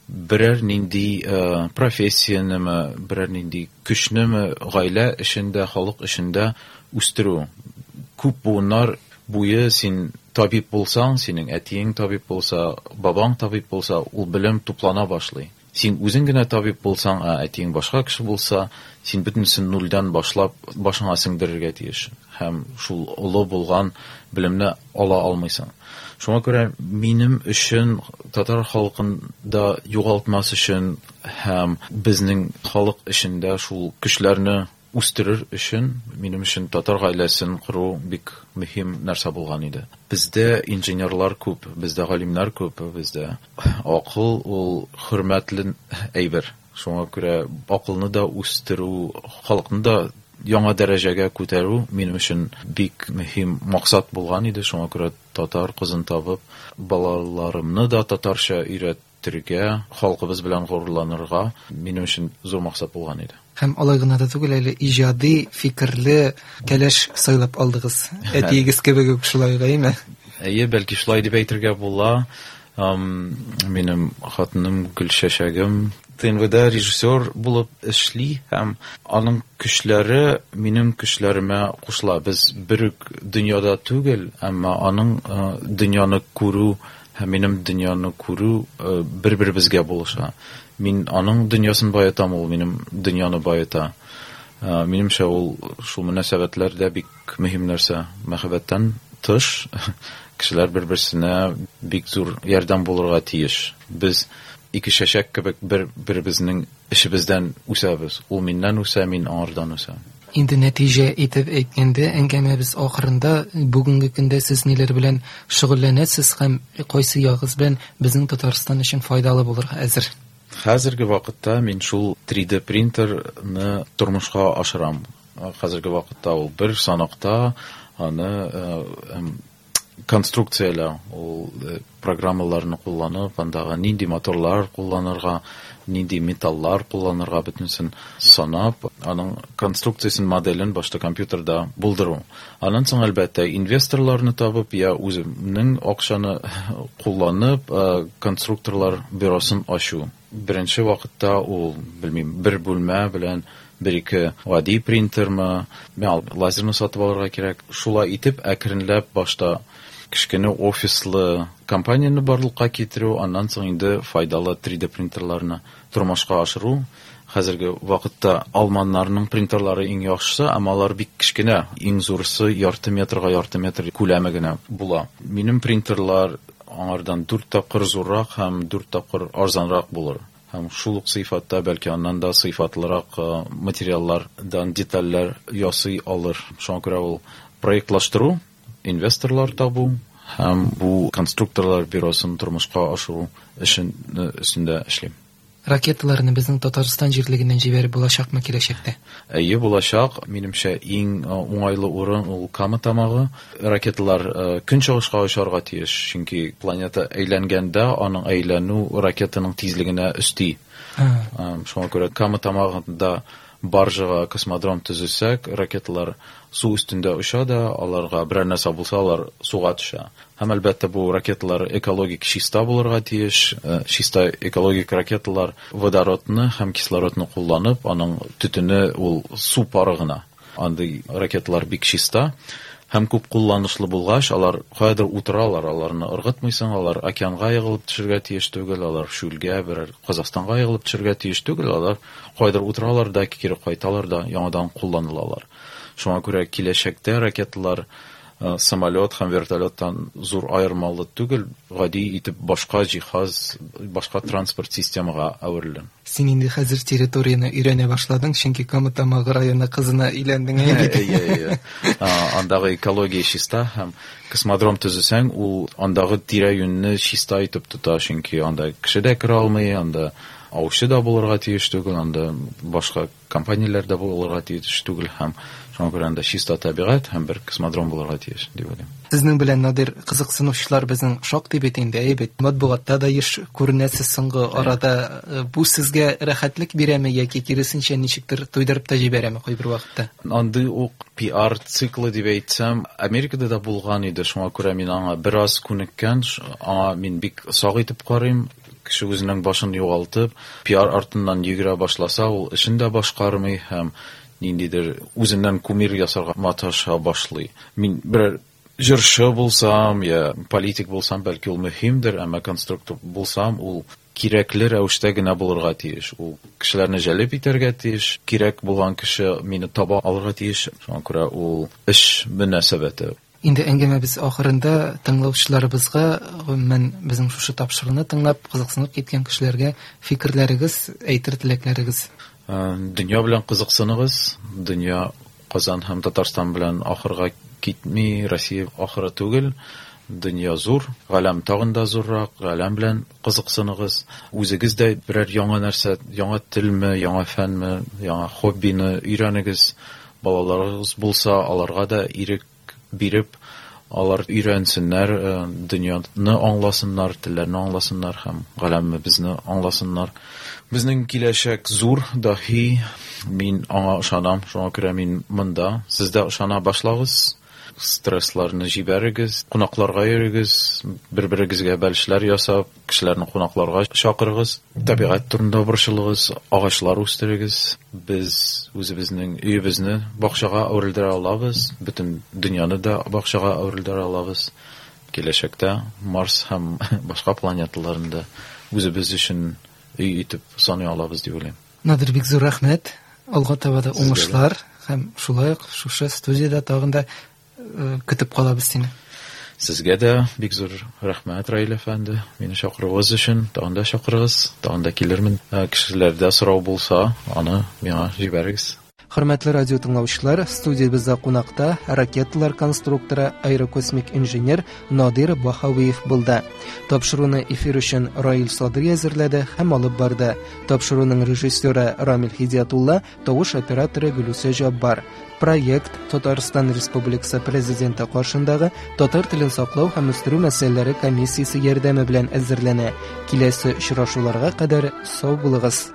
берәр нинди профессиянеме, берәр нинди көчнеме гаилә эчендә, халык эчендә үстерү. Күп буыннар буе син табиб булсаң, синең әтиең табиб булса, бабаң табиб булса, ул белем туплана башлый. Син үзең генә табиб булсаң, ә әтиең башка кеше булса, син бөтенесен нульдән башлап башыңа сеңдерергә тиеш. Һәм шул олы булган белемне ала алмыйсың. Шуңа күрә минем өчен татар халкын да югалтмас өчен һәм безнең халык эчендә шул көчләрне үстерер өчен минем өчен татар гаиләсен кору бик мөһим нәрсә булган иде. Бездә инженерлар күп, бездә галимнәр күп, бездә акыл ул хөрмәтле әйбер. Шуңа күрә акылны да үстерү, халыкны да яңа дәрәҗәгә күтәрү минем өчен бик мөһим максат булган иде. Шуңа күрә татар кызын табып, балаларымны да татарча өйрәтергә, халкыбыз белән горурланырга минем өчен зур максат булган иде. Һәм алай гына да түгел, әле иҗади фикерле кәләш сайлап алдыгыз. Әтиегез кебек үк шулай, әйеме? Әйе, бәлки шулай дип әйтергә була. Минем хатыным Гөлчәчәгем ТНВда режиссер булып эшли һәм аның көчләре минем көчләремә кушыла. Без бер үк дөньяда түгел, әмма аның дөньяны күрү һәм минем дөньяны күрү бер-беребезгә булыша. Мин аның дөньясын баетам, ул минем дөньяны баета. Минемчә, ул шул мөнәсәбәтләр дә бик мөһим нәрсә. Мәхәббәттән тыш кешеләр бер-берсенә бик зур ярдәм булырга тиеш. Без ике чәчәк кебек бер-беребезнең эшебездән үсәбез. Ул миннән үсә, мин аңардан үсәм. Инде нәтиҗә итеп әйткәндә, әңгәмәбез ахырында бүгенге көндә сез ниләр белән шөгыльләнәсез һәм кайсы ягыгыз белән безнең Татарстан өчен файдалы булырга әзер? Хәзерге вакытта мин шул 3D принтерны тормышка ашырам. Хәзерге вакытта ул бер санакта, аны Конструкцияләү, ул программаларны кулланып, андагы нинди моторлар кулланырга, нинди металлар кулланырга, бөтенесен санап, аның конструкциясен, моделен башта компьютерда булдыру. Аннан соң, әлбәттә, инвесторларны табып, я үземнең акчаны кулланып, конструкторлар бюросын ачу. Беренче вакытта ул, белмим, бер бүлмә белән бер-ике гади принтермы, лазерны сатып алырга кирәк. Шулай итеп, әкренләп башта кечкенә офислы компанияне барлыкка китерү, аннан соң инде файдалы 3D принтерларны тормышка ашыру. Хәзерге вакытта алманнарның принтерлары иң яхшысы, әмма алар бик кечкенә, иң зурысы ярты метрга ярты метр күләме генә була. Минем принтерлар аңардан 4 тапкыр зуррак һәм 4 тапкыр арзанрак булыр. Һәм шул ук сыйфатта, бәлки аннан да сыйфатлырак материаллардан детальләр ясый алыр. Шуңа күрә ул проектлаштыру, инвесторлар табу һәм бу конструкторлар бюросын тормышка ашыру эшен өстендә эшлим. Ракеталарны безнең Татарстан җирлегеннән җибәреп булачакмы киләчәктә? Әйе, булачак. Минемчә, иң уңайлы урын ул Кама тамагы. Ракеталар көнчыгышка очарга тиеш, чөнки планета әйләнгәндә аның әйләнү ракетаның тизлегенә өсти. Шуңа күрә Кама тамагында баржага космодром төзесәк, ракеталар су өстендә оча да, аларга берәр нәрсә булса, алар суга төшә. Һәм әлбәттә бу ракеталар экологик чиста булырга тиеш. Чиста экологик ракеталар водородны һәм кислородны кулланып, аның төтене ул су пары гына. Андый ракеталар бик чиста һәм күп кулланышлы булгач, алар каядыр утыралар, аларны ыргытмыйсың, алар океанга егылып төшергә тиеш түгел, алар шүлгә, берәр Казахстанга егылып төшергә тиеш түгел, алар каядыр утыралар да, кире кайталар да, яңадан кулланылалар. Шуңа күрә киләчәктә ракеталар самолет һәм вертолеттан зур аермалы түгел, гади итеп башка җиһаз, башка транспорт системага әверелә. Син инде хәзер территорияне өйрәнә башладың, чөнки Кама Тамагы районы кызына өйләндең, әйе бит? Әйе, әйе. Андагы экология чиста һәм космодром төзесәң, ул андагы тирә-юньне чиста итеп тота, чөнки анда кеше дә керә алмый, анда аучы да булырга тиеш түгел, анда башка компанияләр дә булырга тиеш түгел һәм шуңа күрә анда чиста табигать һәм бер космодром булырга тиеш дип уйлыйм. Сезнең белән, Надир, кызыксынучылар безнең шактый бит инде, әйе бит. Матбугатта да еш күренәсез соңгы арада. Бу сезгә рәхәтлек бирәме яки киресенчә ничектер туйдырып та җибәрәме кайбер вакытта? Андый ук пиар циклы дип әйтсәм, Америкада да булган иде, шуңа күрә мин аңа бераз күнеккән, аңа мин бик сак итеп карыйм. Кеше үзенең башын югалтып, пиар артыннан йөгерә башласа, ул эшен дә башкармый һәм ниндидер үзеннән кумир ясарга маташа башлый. Мин берәр җырчы булсам, я политик булсам, бәлки ул мөһимдер, әмма конструктор булсам, ул кирәкле рәвештә генә булырга тиеш. Ул кешеләрне җәлеп итәргә тиеш, кирәк булган кеше мине таба алырга тиеш. Шуңа күрә ул эш мөнәсәбәте. Инде әңгәмәбез ахырында тыңлаучыларыбызга, гомумән, безнең шушы тапшыруны тыңлап, кызыксынып киткән кешеләргә фикерләрегез, әйтер теләкләрегез. Дөнья белән кызыксыныгыз. Дөнья Казан һәм Татарстан белән ахырга китми, Россия ахыры түгел. Дөнья зур, галәм тагын да зуррак, галәм белән кызыксыныгыз. Үзегез дә берәр яңа нәрсә, яңа телме, яңа фәнме, яңа хоббины өйрәнегез. Балаларыгыз булса, аларга да ирек биреп, алар өйрәнсеннәр, дөньяны аңласыннар, телләрне аңласыннар һәм галәмебезне аңласыннар. Безнең киләчәк зур, даһи, мин аңа ышанам, шуңа күрә мин монда. Сез дә ышана башлагыз, стрессларны җибәрегез, кунакларга йөрегез, бер-берегезгә бәлешләр ясап, кешеләрне кунакларга чакырыгыз, табигать турында борчылыгыз, агачлар үстерегез. Без үзебезнең өебезне бакчага әверелдерә алабыз, бөтен дөньяны да бакчага әверелдерә алабыз. Киләчәктә Марс һәм башка планеталарны да үзебез өчен өй итеп саный алабыз дип уйлыйм. Надир, бик зур рәхмәт. Алга таба да уңышлар һәм шулай ук шушы студияда тагын да көтеп калабыз сине. Сезгә дә бик зур рәхмәт, Раил әфәнде, мине чакыруыгыз өчен. Тагын да чакырыгыз, тагын да килермен. Кешеләрдә сорау булса, аны миңа җибәрегез. Хөрмәтле радио тыңлаучылар, студиябездә кунакта ракеталар конструкторы, аэрокосмик инженер Надир Баһавиев булды. Тапшыруны эфир өчен Раил Садри әзерләде һәм алып барды. Тапшыруның режиссеры Рамил Хидиятулла, тавыш операторы Гөлүсә Җаббар. Проект Татарстан Республикасы Президенты каршындагы татар телен саклау һәм үстерү мәсьәләләре комиссиясе ярдәме белән әзерләнә. Киләсе очрашуларга кадәр сау булыгыз.